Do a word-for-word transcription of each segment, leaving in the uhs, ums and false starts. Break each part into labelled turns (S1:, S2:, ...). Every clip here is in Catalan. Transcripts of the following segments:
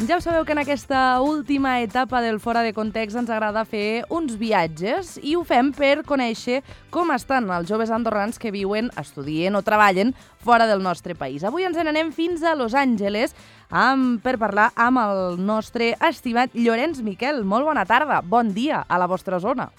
S1: Ja ho sabeu que en aquesta última etapa del Fora de Context ens agrada fer uns viatges i ho fem per conèixer com estan els joves andorrans que viuen, estudien o treballen fora del nostre país. Avui ens n'anem fins a Los Angeles amb, per parlar amb el nostre estimat Llorenç Miquel. Molt bona tarda, bon dia a la vostra zona.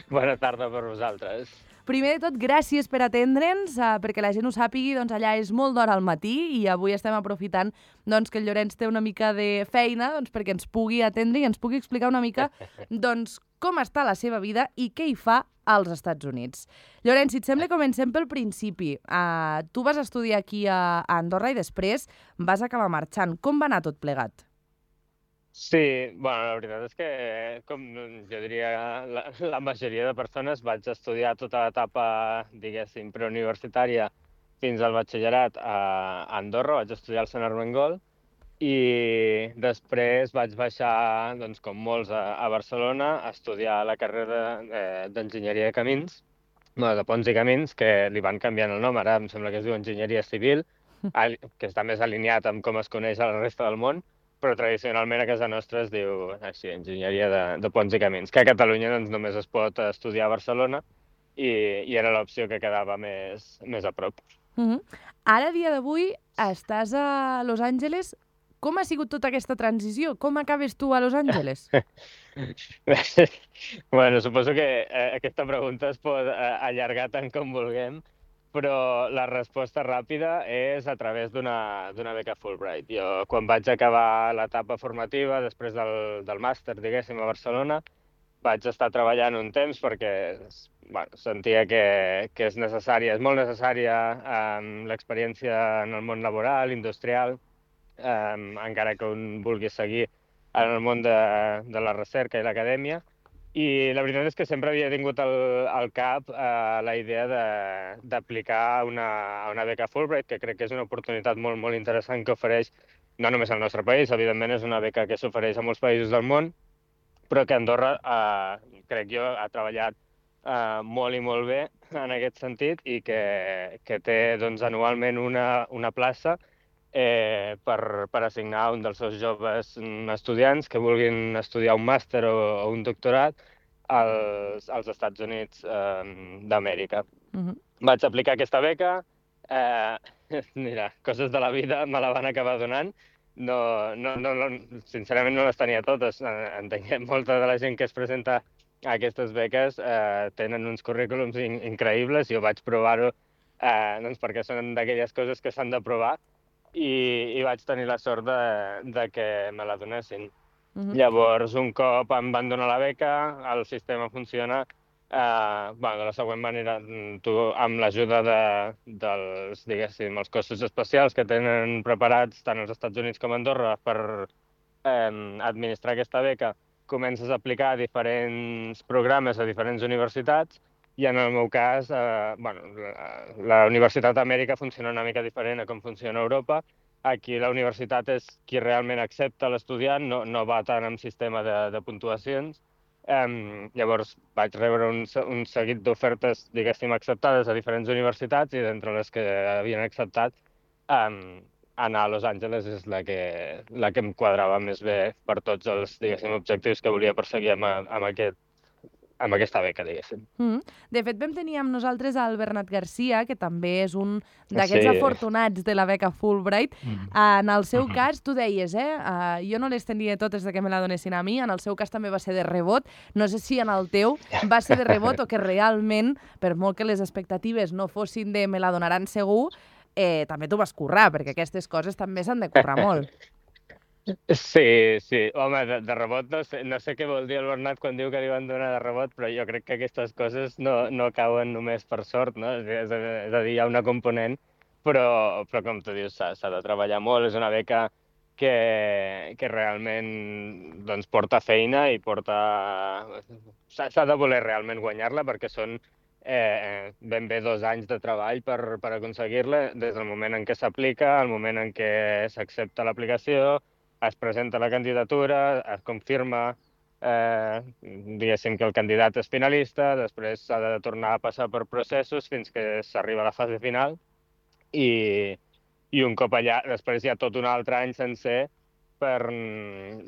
S2: Bona tarda per vosaltres.
S1: Primer de tot, gràcies per atendre'ns, eh, perquè la gent ho sàpigui, doncs allà és molt d'hora al matí i avui estem aprofitant doncs, que el Llorenç té una mica de feina doncs, perquè ens pugui atendre i ens pugui explicar una mica doncs, com està la seva vida i què hi fa als Estats Units. Llorenç, si et sembla, comencem pel principi. Uh, tu vas estudiar aquí a, a Andorra i després vas acabar marxant. Com va anar tot plegat?
S2: Sí, bueno, la veritat és que, com jo diria, la, la majoria de persones vaig estudiar tota l'etapa, diguéssim, preuniversitària fins al batxillerat a Andorra, vaig estudiar al Sant Armengol i després vaig baixar, doncs, com molts, a, a Barcelona a estudiar la carrera d'Enginyeria de Camins, no, de Ponts i Camins, que li van canviant el nom, ara em sembla que es diu Enginyeria Civil, que està més alineat amb com es coneix a la resta del món, però tradicionalment a casa nostra es diu així, Enginyeria de, de Ponts i Camins, que a Catalunya doncs, només es pot estudiar a Barcelona i, i era l'opció que quedava més, més a prop.
S1: Uh-huh. Ara, a dia d'avui, estàs a Los Angeles. Com ha sigut tota aquesta transició? Com acabes tu a Los Angeles?
S2: Bueno, suposo que eh, aquesta pregunta es pot eh, allargar tant com vulguem, però la resposta ràpida és a través d'una d'una beca Fulbright. Jo, quan vaig acabar l'etapa formativa, després del, del màster, diguéssim, a Barcelona, vaig estar treballant un temps perquè bueno, sentia que, que és necessària, és molt necessària um, l'experiència en el món laboral, industrial, um, encara que un vulgui seguir en el món de, de la recerca i l'acadèmia. I la veritat és que sempre havia tingut al, al cap eh, la idea d'aplicar una, una beca Fulbright, que crec que és una oportunitat molt, molt interessant que ofereix no només al nostre país, evidentment és una beca que s'ofereix a molts països del món, però que Andorra, eh, crec jo, ha treballat eh, molt i molt bé en aquest sentit i que, que té doncs, anualment una, una plaça Eh, per, per assignar un dels seus joves estudiants que vulguin estudiar un màster o, o un doctorat als, als Estats Units eh, d'Amèrica. Uh-huh. Vaig aplicar aquesta beca, eh, mira, coses de la vida me la van acabar donant, no, no, no, no, sincerament no les tenia totes, entenc que molta de la gent que es presenta a aquestes beques eh, tenen uns currículums in increïbles, jo vaig provar-ho eh, doncs perquè són d'aquelles coses que s'han de provar, I, i vaig tenir la sort de, de que me la donessin. Uh-huh. Llavors, un cop em van donar la beca, el sistema funciona eh, bueno, de la següent manera. Tu, amb l'ajuda de, dels, diguéssim, els cossos especials que tenen preparats tant als Estats Units com a Andorra per eh, administrar aquesta beca, comences a aplicar diferents programes a diferents universitats. I en el meu cas, eh, bueno, la, la Universitat d'Amèrica funciona una mica diferent a com funciona a Europa. Aquí la universitat és qui realment accepta l'estudiant, no, no va tant amb sistema de, de puntuacions. Um, llavors vaig rebre un, un seguit d'ofertes, diguéssim, acceptades a diferents universitats i d'entre les que havien acceptat, um, anar a Los Angeles és la que, la que em quadrava més bé per tots els, diguéssim, objectius que volia perseguir amb, amb aquest amb aquesta beca, diguéssim.
S1: Mm. De fet, vam tenir amb nosaltres el Bernat Garcia, que també és un d'aquests sí. afortunats de la beca Fulbright. Mm. En el seu cas, tu deies, eh? Uh, jo no les tenia totes de que me la donessin a mi, en el seu cas també va ser de rebot. No sé si en el teu va ser de rebot o que realment, per molt que les expectatives no fossin de me la donaran segur, eh, també t'ho vas currar, perquè aquestes coses també s'han de currar molt.
S2: Sí, sí. Home, de, de rebot no sé, no sé què vol dir el Bernat quan diu que li van donar de rebot, però jo crec que aquestes coses no, no cauen només per sort, no? És, és a dir, hi ha una component, però, però com tu dius, s'ha de treballar molt. És una beca que, que realment doncs, porta feina i porta... S'ha de voler realment guanyar-la perquè són eh, ben bé dos anys de treball per, per aconseguir-la, des del moment en què s'aplica, al moment en què s'accepta l'aplicació, es presenta la candidatura, es confirma, eh, diguéssim que el candidat és finalista, després s'ha de tornar a passar per processos fins que s'arriba a la fase final i, i un cop allà, després hi ha tot un altre any sencer per,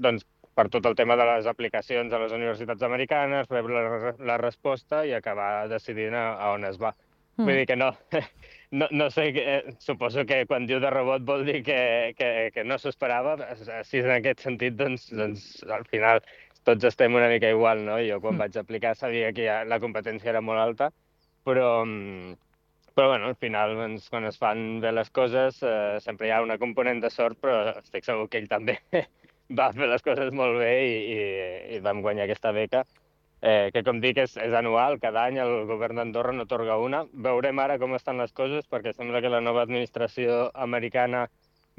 S2: doncs, per tot el tema de les aplicacions a les universitats americanes, rebre la, la resposta i acabar decidint a, a on es va. Mm. Vull dir que no, no, no sé, eh, suposo que quan diu de rebot vol dir que, que, que no s'ho esperava. Si és en aquest sentit, doncs, doncs al final tots estem una mica igual, no? Jo quan mm. vaig aplicar sabia que ja la competència era molt alta, però, però bueno, al final, doncs, quan es fan bé les coses, eh, sempre hi ha una component de sort, però estic segur que ell també va fer les coses molt bé i, i, i vam guanyar aquesta beca. Eh, que com dic és, és anual, cada any el govern d'Andorra n'atorga una. Veurem ara com estan les coses, perquè sembla que la nova administració americana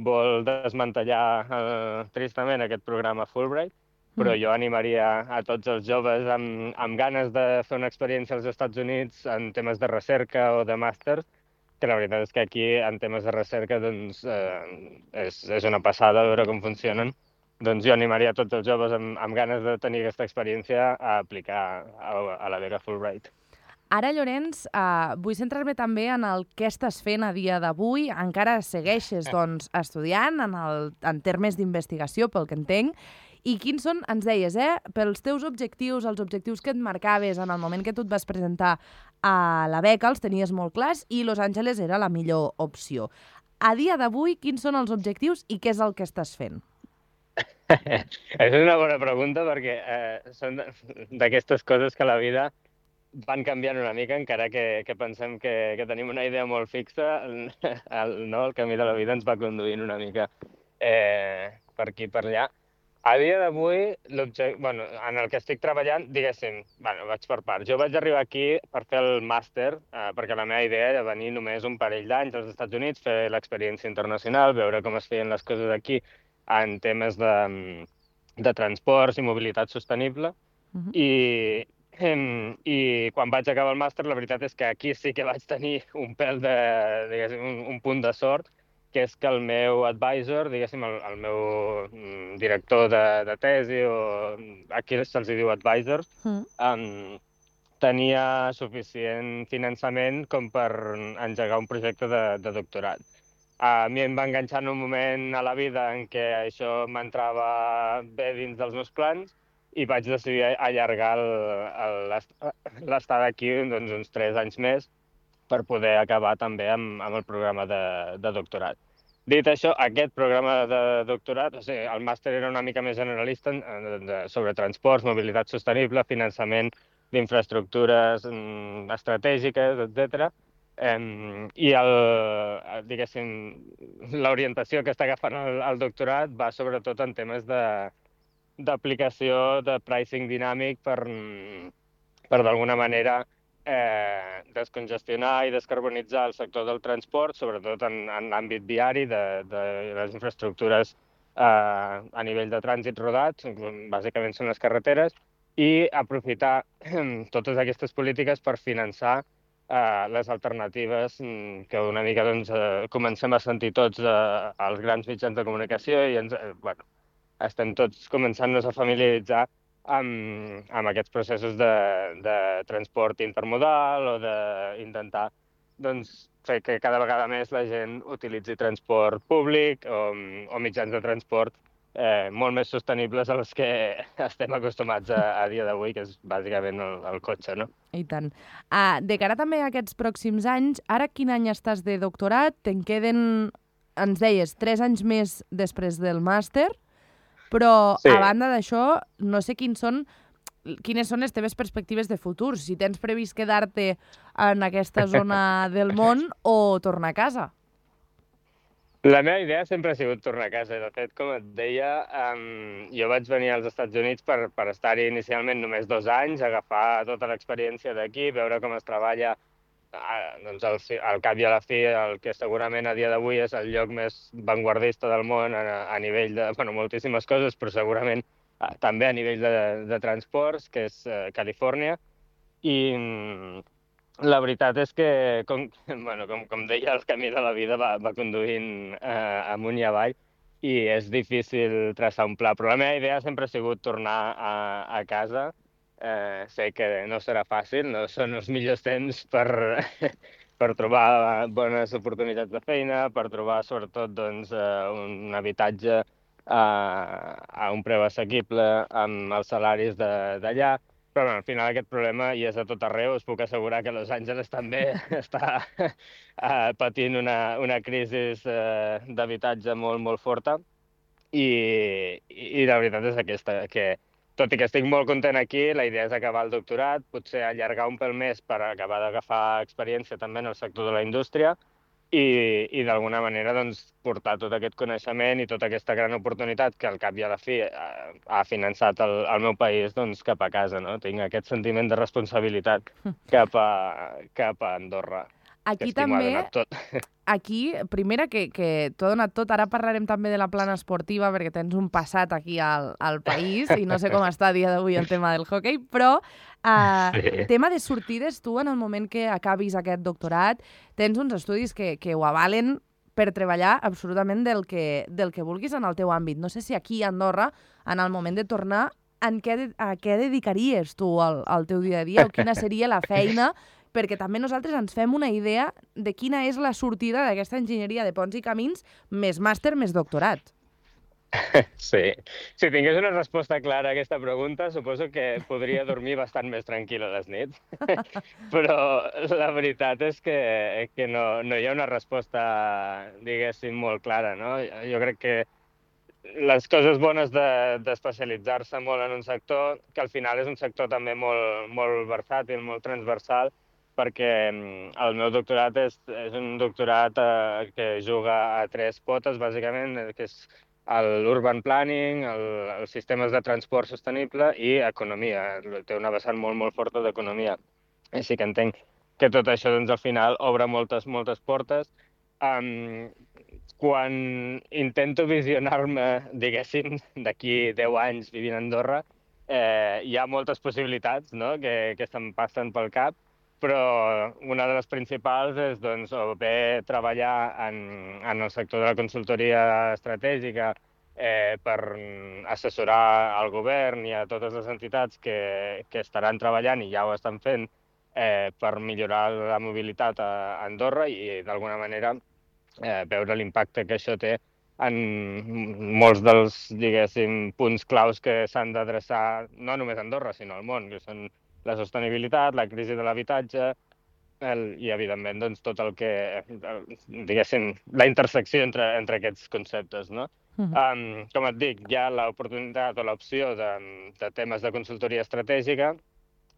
S2: vol desmantellar eh, tristament aquest programa Fulbright, però jo animaria a tots els joves amb, amb ganes de fer una experiència als Estats Units en temes de recerca o de màster, que la veritat és que aquí, en temes de recerca, doncs, eh, és, és una passada veure com funcionen. Doncs jo animaria a tots els joves amb, amb ganes de tenir aquesta experiència a aplicar a, a la beca Fulbright.
S1: Ara, Llorenç, eh, vull centrar-me també en el que estàs fent a dia d'avui. Encara segueixes doncs, estudiant en, el, en termes d'investigació, pel que entenc. I quins són, ens deies, eh, pels teus objectius, els objectius que et marcaves en el moment que tu et vas presentar a la beca, els tenies molt clars i Los Angeles era la millor opció. A dia d'avui, quins són els objectius i què és el que estàs fent?
S2: És una bona pregunta perquè eh, són d'aquestes coses que a la vida van canviant una mica, encara que, que pensem que, que tenim una idea molt fixa, el, el, no, el camí de la vida ens va conduint una mica eh, per aquí per allà. A dia d'avui, bueno, en el que estic treballant, diguéssim, bueno, vaig per part. Jo vaig arribar aquí per fer el màster, eh, perquè la meva idea era venir només un parell d'anys als Estats Units, fer l'experiència internacional, veure com es feien les coses aquí en temes de, de transports i mobilitat sostenible. Uh-huh. I, i quan vaig acabar el màster, la veritat és que aquí sí que vaig tenir un pèl de, diguéssim, un, un punt de sort, que és que el meu advisor, diguéssim, el, el meu director de, de tesi, o aquí se'ls diu advisors, mm. um, tenia suficient finançament com per engegar un projecte de, de doctorat. A mi em va enganxar en un moment a la vida en què això m'entrava bé dins dels meus plans i vaig decidir allargar l'estada aquí doncs, uns tres anys més per poder acabar també amb, amb el programa de, de doctorat. Dit això, aquest programa de doctorat, o sigui, el màster era una mica més generalista de, de, sobre transports, mobilitat sostenible, finançament d'infraestructures estratègiques, etcètera. Um, I el, diguéssim, l'orientació que està agafant el, el doctorat va sobretot en temes d'aplicació de, de pricing dinàmic per, per d'alguna manera eh, descongestionar i descarbonitzar el sector del transport, sobretot en, en l'àmbit viari de, de les infraestructures eh, a nivell de trànsit rodat, bàsicament són les carreteres, i aprofitar totes aquestes polítiques per finançar Uh, les alternatives que una mica doncs, uh, comencem a sentir tots uh, als grans mitjans de comunicació i ens, uh, bueno, estem tots començant-nos a familiaritzar amb, amb aquests processos de, de transport intermodal o d'intentar doncs, fer que cada vegada més la gent utilitzi transport públic o, o mitjans de transport Eh, molt més sostenibles a les que estem acostumats a, a dia d'avui, que és bàsicament el, el cotxe, no?
S1: I tant. Uh, de cara també a aquests pròxims anys, ara quin any estàs de doctorat? Te'n queden, ens deies, tres anys més després del màster, però sí. A banda d'això, no sé quins són, quines són les teves perspectives de futur, si tens previst quedar-te en aquesta zona del món o tornar a casa.
S2: La meva idea sempre ha sigut tornar a casa. De fet, com et deia, um, jo vaig venir als Estats Units per, per estar-hi inicialment només dos anys, agafar tota l'experiència d'aquí, veure com es treballa, uh, doncs al, al cap i a la fi, el que segurament a dia d'avui és el lloc més vanguardista del món a, a nivell de, bueno, moltíssimes coses, però segurament uh, també a nivell de, de transports, que és uh, Califòrnia. I um, la veritat és que, com, bueno, com, com deia, el camí de la vida va, va conduint eh, amunt i avall i és difícil traçar un pla. Però la meva idea sempre ha sigut tornar a, a casa. Eh, sé que no serà fàcil, no són els millors temps per, per trobar bones oportunitats de feina, per trobar sobretot doncs, un habitatge a, a un preu assequible amb els salaris d'allà. Però bueno, al final aquest problema hi és a tot arreu. Us puc assegurar que Los Angeles també està uh, patint una, una crisi uh, d'habitatge molt, molt forta. I, I la veritat és aquesta, que tot i que estic molt content aquí, la idea és acabar el doctorat, potser allargar un pel més per acabar d'agafar experiència també en el sector de la indústria i, i d'alguna manera doncs, portar tot aquest coneixement i tota aquesta gran oportunitat que al cap i a la fi ha, ha finançat el, el meu país doncs, cap a casa. No? Tinc aquest sentiment de responsabilitat cap a, cap a Andorra.
S1: Aquí també,
S2: tot.
S1: aquí, primera, que, que t'ho ha donat tot. Ara parlarem també de la plana esportiva, perquè tens un passat aquí al, al país, i no sé com està a dia d'avui el tema del hoquei, però uh, sí. tema de sortides, tu, en el moment que acabis aquest doctorat, tens uns estudis que, que ho avalen per treballar absolutament del que, del que vulguis en el teu àmbit. No sé si aquí a Andorra, en el moment de tornar, en què, a què dedicaries tu al, al teu dia a dia, o quina seria la feina, perquè també nosaltres ens fem una idea de quina és la sortida d'aquesta enginyeria de ponts i camins, més màster, més doctorat.
S2: Sí. Si tingués una resposta clara a aquesta pregunta, suposo que podria dormir bastant més tranquil a les nits. Però la veritat és que, que no, no hi ha una resposta, diguéssim, molt clara, no? Jo crec que les coses bones d'especialitzar-se de, molt en un sector, que al final és un sector també molt, molt versàtil, molt transversal, perquè el meu doctorat és, és un doctorat eh, que juga a tres potes, bàsicament, que és l'urban planning, el, els sistemes de transport sostenible i economia. Té una vessant molt, molt forta d'economia. Així que entenc que tot això, doncs, al final, obre moltes, moltes portes. Um, quan intento visionar-me, diguéssim, d'aquí deu anys vivint a Andorra, eh, hi ha moltes possibilitats, no?, que, que se'm passen pel cap, però una de les principals és doncs, o bé treballar en, en el sector de la consultoria estratègica eh, per assessorar al govern i a totes les entitats que, que estaran treballant i ja ho estan fent eh, per millorar la mobilitat a Andorra i d'alguna manera eh, veure l'impacte que això té en molts dels, diguéssim, punts claus que s'han d'adreçar no només a Andorra, sinó al món, que són la sostenibilitat, la crisi de l'habitatge i, evidentment, doncs, tot el que, diguéssim, la intersecció entre, entre aquests conceptes, no? Uh-huh. um, com et dic, hi ha l'oportunitat o l'opció de, de temes de consultoria estratègica.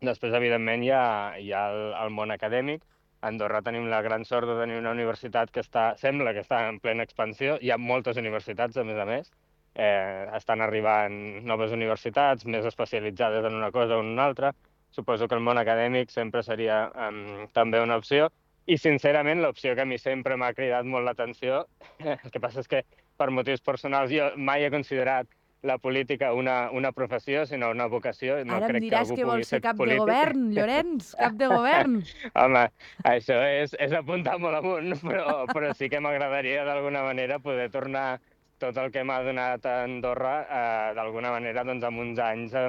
S2: Després, evidentment, hi ha, hi ha el, el món acadèmic. A Andorra tenim la gran sort de tenir una universitat que està, sembla que està en plena expansió. Hi ha moltes universitats, a més a més. Eh, estan arribant noves universitats, més especialitzades en una cosa o en una altra. Suposo que el món acadèmic sempre seria um, també una opció. I, sincerament, l'opció que a mi sempre m'ha cridat molt l'atenció, el que passa és que, per motius personals, jo mai he considerat la política una, una professió, sinó una vocació. No
S1: Ara em
S2: crec
S1: diràs
S2: que,
S1: que vols ser cap
S2: polític.
S1: de govern, Llorenç, cap de govern.
S2: Home, això és, és apuntar molt amunt, però, però sí que m'agradaria d'alguna manera poder tornar tot el que m'ha donat a Andorra, eh, d'alguna manera, doncs, amb uns anys eh,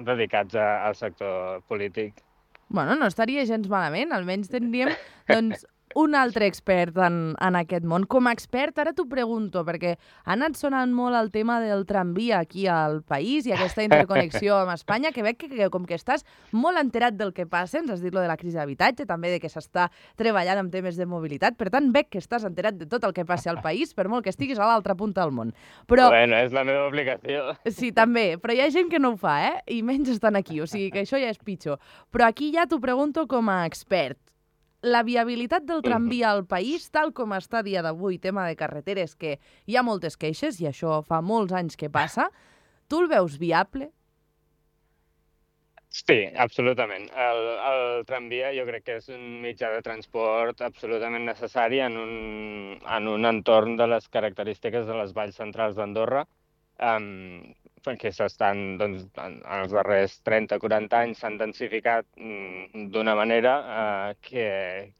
S2: dedicats a, al sector polític.
S1: Bueno, no estaria gens malament, almenys tindríem, doncs, un altre expert en, en aquest món. Com a expert, ara t'ho pregunto, perquè ha anat sonant molt el tema del tramvia aquí al país i aquesta interconnexió amb Espanya, que veig que, que com que estàs molt enterat del que passa, ens has dit lo de la crisi d'habitatge, també de que s'està treballant amb temes de mobilitat, per tant, veig que estàs enterat de tot el que passa al país, per molt que estiguis a l'altra punta del món. Però...
S2: Bueno, és la meva obligació.
S1: Sí, també, però hi ha gent que no ho fa, eh? I menys estan aquí, o sigui que això ja és pitjor. Però aquí ja t'ho pregunto com a expert. La viabilitat del tramvia al país, tal com està a dia d'avui, tema de carreteres, que hi ha moltes queixes, i això fa molts anys que passa, tu el veus viable?
S2: Sí, absolutament. El, el tramvia jo crec que és un mitjà de transport absolutament necessari en un, en un entorn de les característiques de les valls centrals d'Andorra, um, perquè s'estan, doncs, en els darrers trenta quaranta anys s'han densificat mm, d'una manera eh, que,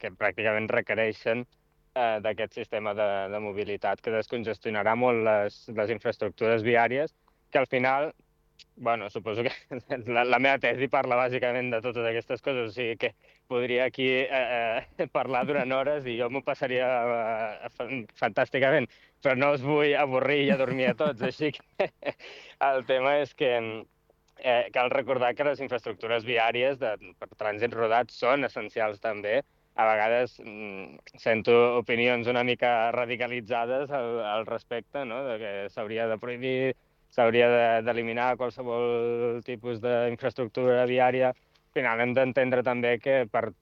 S2: que pràcticament requereixen eh, d'aquest sistema de, de mobilitat que descongestionarà molt les, les infraestructures viàries, que al final bueno, suposo que la, la meva tesi parla bàsicament de totes aquestes coses, o sigui que podria aquí eh, eh, parlar durant hores i jo m'ho passaria eh, fan- fantàsticament, però no us vull avorrir i adormir a tots, així que el tema és que eh, cal recordar que les infraestructures viàries de, per trànsit rodat són essencials també. A vegades mm, sento opinions una mica radicalitzades al, al respecte, no? De que s'hauria de prohibir, s'hauria de- d'eliminar qualsevol tipus d'infraestructura viària. Al final hem d'entendre també que, per,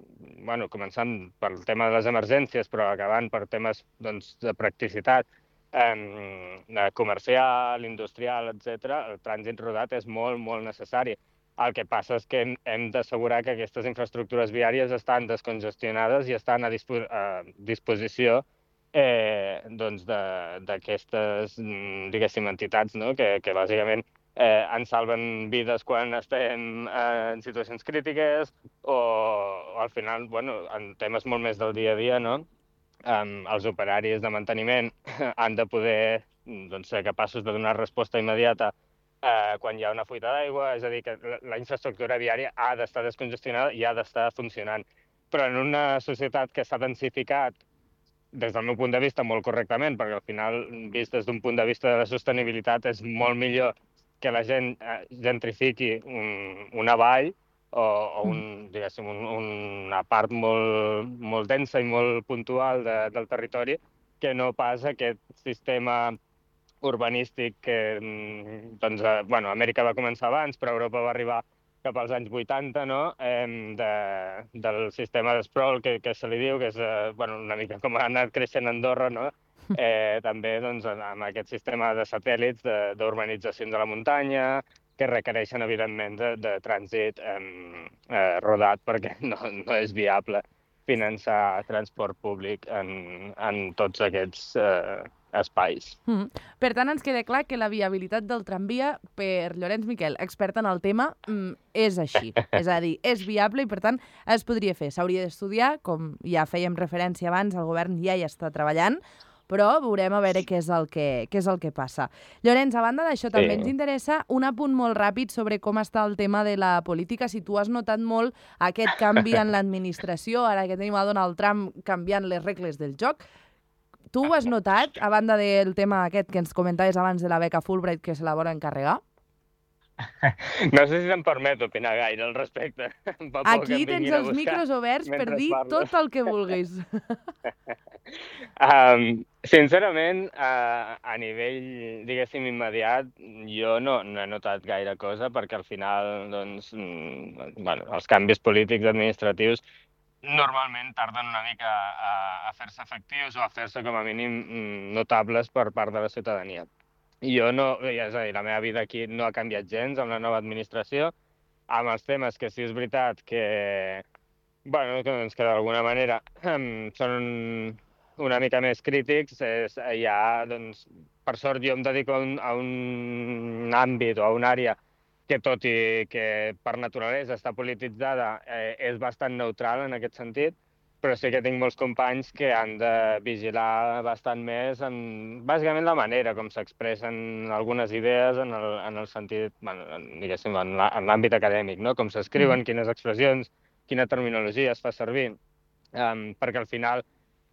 S2: bueno, començant pel tema de les emergències, però acabant per temes doncs, de practicitat, eh, comercial, industrial, etcètera, el trànsit rodat és molt, molt necessari. El que passa és que hem, hem d'assegurar que aquestes infraestructures viàries estan descongestionades i estan a, dispo a disposició eh, doncs d'aquestes, mm, diguéssim, entitats, no? que, que bàsicament eh, ens salven vides quan estem eh, en situacions crítiques o, o al final, bueno, en temes molt més del dia a dia, no? Um, els operaris de manteniment han de poder doncs, ser capaços de donar resposta immediata eh, quan hi ha una fuita d'aigua, és a dir, que la, la infraestructura viària ha d'estar descongestionada i ha d'estar funcionant. Però en una societat que s'ha densificat, des del meu punt de vista, molt correctament, perquè al final, vist des d'un punt de vista de la sostenibilitat, és molt millor que la gent eh, gentrifiqui un, una vall o, o un, diguéssim, un, una part molt, molt densa i molt puntual de, del territori, que no pas aquest sistema urbanístic que, mm, doncs, eh, bueno, Amèrica va començar abans, però Europa va arribar cap als anys vuitanta, no? Eh, de, del sistema de sprawl, que, que se li diu, que és eh, bueno, una mica com ha anat creixent Andorra, no? Eh, també doncs, amb aquest sistema de satèl·lits d'urbanitzacions de la muntanya, que requereixen, evidentment, de, de trànsit eh, eh, rodat, perquè no, no és viable finançar transport públic en, en tots aquests eh, espais.
S1: Mm -hmm. Per tant, ens queda clar que la viabilitat del tramvia, per Llorenç Miquel, expert en el tema, mm, és així. És a dir, és viable i, per tant, es podria fer. S'hauria d'estudiar, com ja fèiem referència abans, el govern ja hi està treballant, però veurem a veure què és el que, què és el que passa. Llorenç, a banda d'això, també
S2: Sí.
S1: ens interessa un apunt molt ràpid sobre com està el tema de la política, si tu has notat molt aquest canvi en l'administració, ara que tenim a Donald Trump canviant les regles del joc. Tu ho has notat, a banda del tema aquest que ens comentaves abans de la beca Fulbright, que se la volen encarregar?
S2: No sé si em permet opinar gaire al respecte. Fa por que
S1: Aquí
S2: em
S1: tens
S2: vinguin a
S1: els
S2: buscar
S1: micros oberts per
S2: mentre
S1: dir
S2: parlo.
S1: tot el que vulguis.
S2: Um, sincerament, a, a nivell, diguéssim, immediat, jo no, no he notat gaire cosa, perquè al final, doncs, mm, bueno, els canvis polítics administratius normalment tarden una mica a, a fer-se efectius o a fer-se, com a mínim, mm, notables per part de la ciutadania. Jo no, és a dir, la meva vida aquí no ha canviat gens amb la nova administració, amb els temes que sí és veritat que, bueno, que, doncs, que d'alguna manera són una mica més crítics, és, hi ha, doncs, per sort jo em dedico a un, a un àmbit o a una àrea que, tot i que per naturalesa està polititzada, eh, és bastant neutral en aquest sentit, però sí que tinc molts companys que han de vigilar bastant més en, bàsicament, la manera com s'expressen algunes idees en el, en el sentit, bueno, diguéssim, en l'àmbit acadèmic, no? Com s'escriuen, quines expressions, quina terminologia es fa servir, um, perquè al final,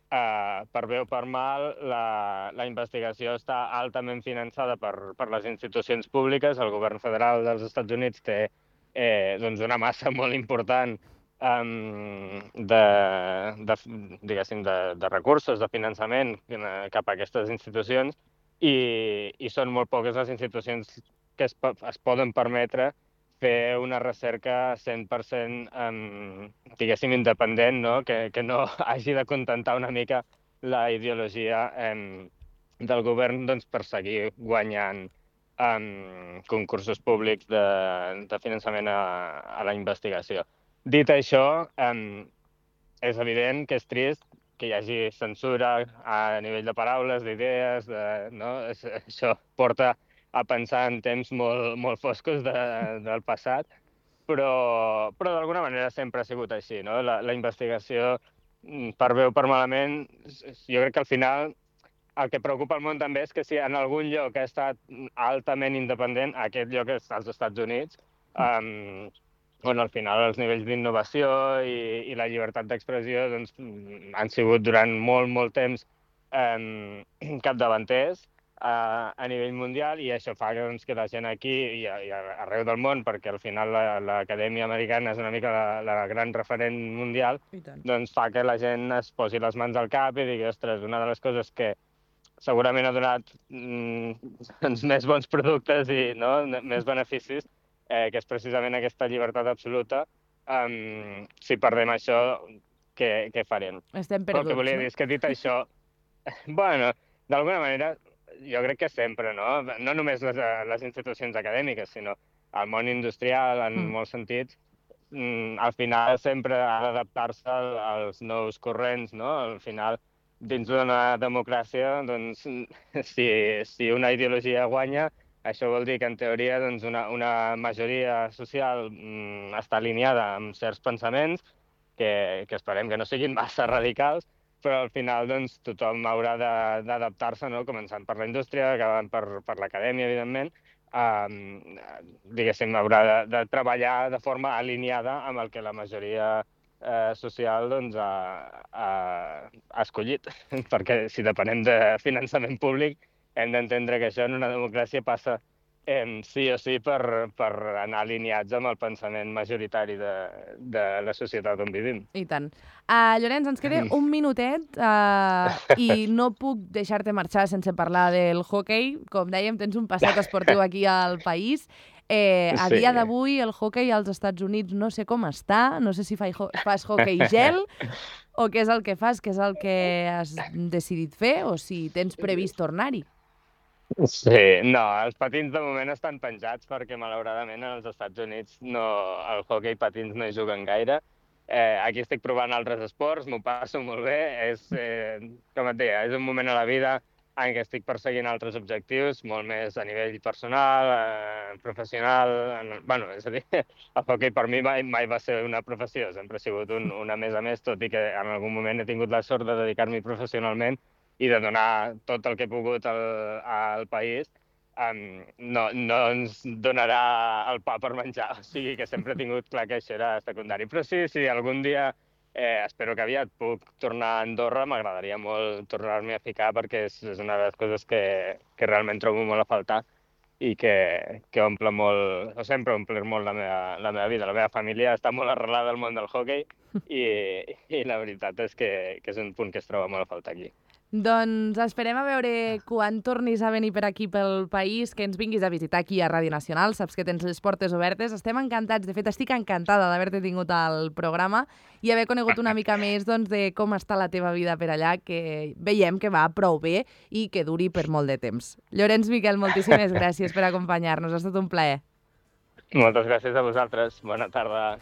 S2: uh, per bé o per mal, la, la investigació està altament finançada per, per les institucions públiques. El govern federal dels Estats Units té eh, doncs una massa molt important um, de, de, diguéssim, de, de recursos, de finançament cap a aquestes institucions, i, i són molt poques les institucions que es, es poden permetre fer una recerca cent per cent, um, diguéssim, independent, no? Que, que no hagi de contentar una mica la ideologia um, del govern, doncs, per seguir guanyant um, concursos públics de, de finançament a, a la investigació. Dit això, um, és evident que és trist que hi hagi censura a nivell de paraules, d'idees, de, no? Això porta a pensar en temps molt, molt foscos de, del passat, però, però d'alguna manera sempre ha sigut així, no? La, la investigació, per bé o per malament, jo crec que al final el que preocupa el món també és que si en algun lloc ha estat altament independent, aquest lloc és als Estats Units, um, on al final els nivells d'innovació i, i la llibertat d'expressió doncs, han sigut durant molt, molt temps um, capdavanters a, a nivell mundial, i això fa que, doncs, que la gent aquí i, a, i arreu del món, perquè al final l'Acadèmia Americana és una mica la, la gran referent mundial, doncs fa que la gent es posi les mans al cap i digui, ostres, una de les coses que segurament ha donat mm, doncs, més bons productes i no, més beneficis, eh, que és precisament aquesta llibertat absoluta. Um, si perdem això, què, què farem?
S1: Estem perduts,
S2: Però el que volia dir és que dit això, bueno, d'alguna manera, jo crec que sempre, no? No només les, les institucions acadèmiques, sinó el món industrial, en mm. molts sentits, mm, al final sempre ha d'adaptar-se als nous corrents, no? Al final, dins d'una democràcia, doncs, si, si una ideologia guanya, això vol dir que, en teoria, doncs, una, una majoria social mm, està alineada amb certs pensaments, que, que esperem que no siguin massa radicals, però al final doncs, tothom haurà d'adaptar-se, no? Començant per la indústria, acabant per, per l'acadèmia, evidentment, um, diguéssim, haurà de, de treballar de forma alineada amb el que la majoria eh, social doncs, ha, ha, ha escollit, perquè si depenem de finançament públic hem d'entendre que això en una democràcia passa eh, sí o sí per, per anar alineats amb el pensament majoritari de, de la societat on vivim.
S1: I tant. Uh, Llorenç, ens queda un minutet uh, i no puc deixar-te marxar sense parlar del hoquei. Com dèiem, tens un passat esportiu aquí al país. Eh, a sí. dia d'avui el hoquei als Estats Units no sé com està, no sé si fa, fas hoquei gel o què és el que fas, què és el que has decidit fer o si tens previst tornar-hi.
S2: Sí, no, els patins de moment estan penjats perquè malauradament als Estats Units no, el hoquei patins no hi juguen gaire. Eh, aquí estic provant altres esports, m'ho passo molt bé, és, eh, com et deia, és un moment a la vida en què estic perseguint altres objectius, molt més a nivell personal, eh, professional. En, bueno, és a dir, el hoquei per mi mai, mai va ser una professió, sempre ha sigut un, una més a més, tot i que en algun moment he tingut la sort de dedicar-m'hi professionalment i de donar tot el que he pogut al, al país. Um, no, no ens donarà el pa per menjar, o sigui que sempre he tingut clar que això era secundari. Però sí, sí, algun dia, eh, espero que aviat puc tornar a Andorra, m'agradaria molt tornar-m'hi a ficar perquè és, és una de les coses que, que realment trobo molt a faltar i que, que omple molt, o sempre omple molt la meva, la meva vida. La meva família està molt arrelada al món del hoquei i, i la veritat és que, que és un punt que es troba molt a faltar aquí.
S1: Doncs esperem a veure quan tornis a venir per aquí pel país, que ens vinguis a visitar aquí a Ràdio Nacional. Saps que tens les portes obertes. Estem encantats, de fet estic encantada d'haver-te tingut al programa i haver conegut una mica més doncs, de com està la teva vida per allà, que veiem que va prou bé i que duri per molt de temps. Llorenç Miquel, moltíssimes gràcies per acompanyar-nos, ha estat un plaer.
S2: Moltes gràcies a vosaltres, bona tarda.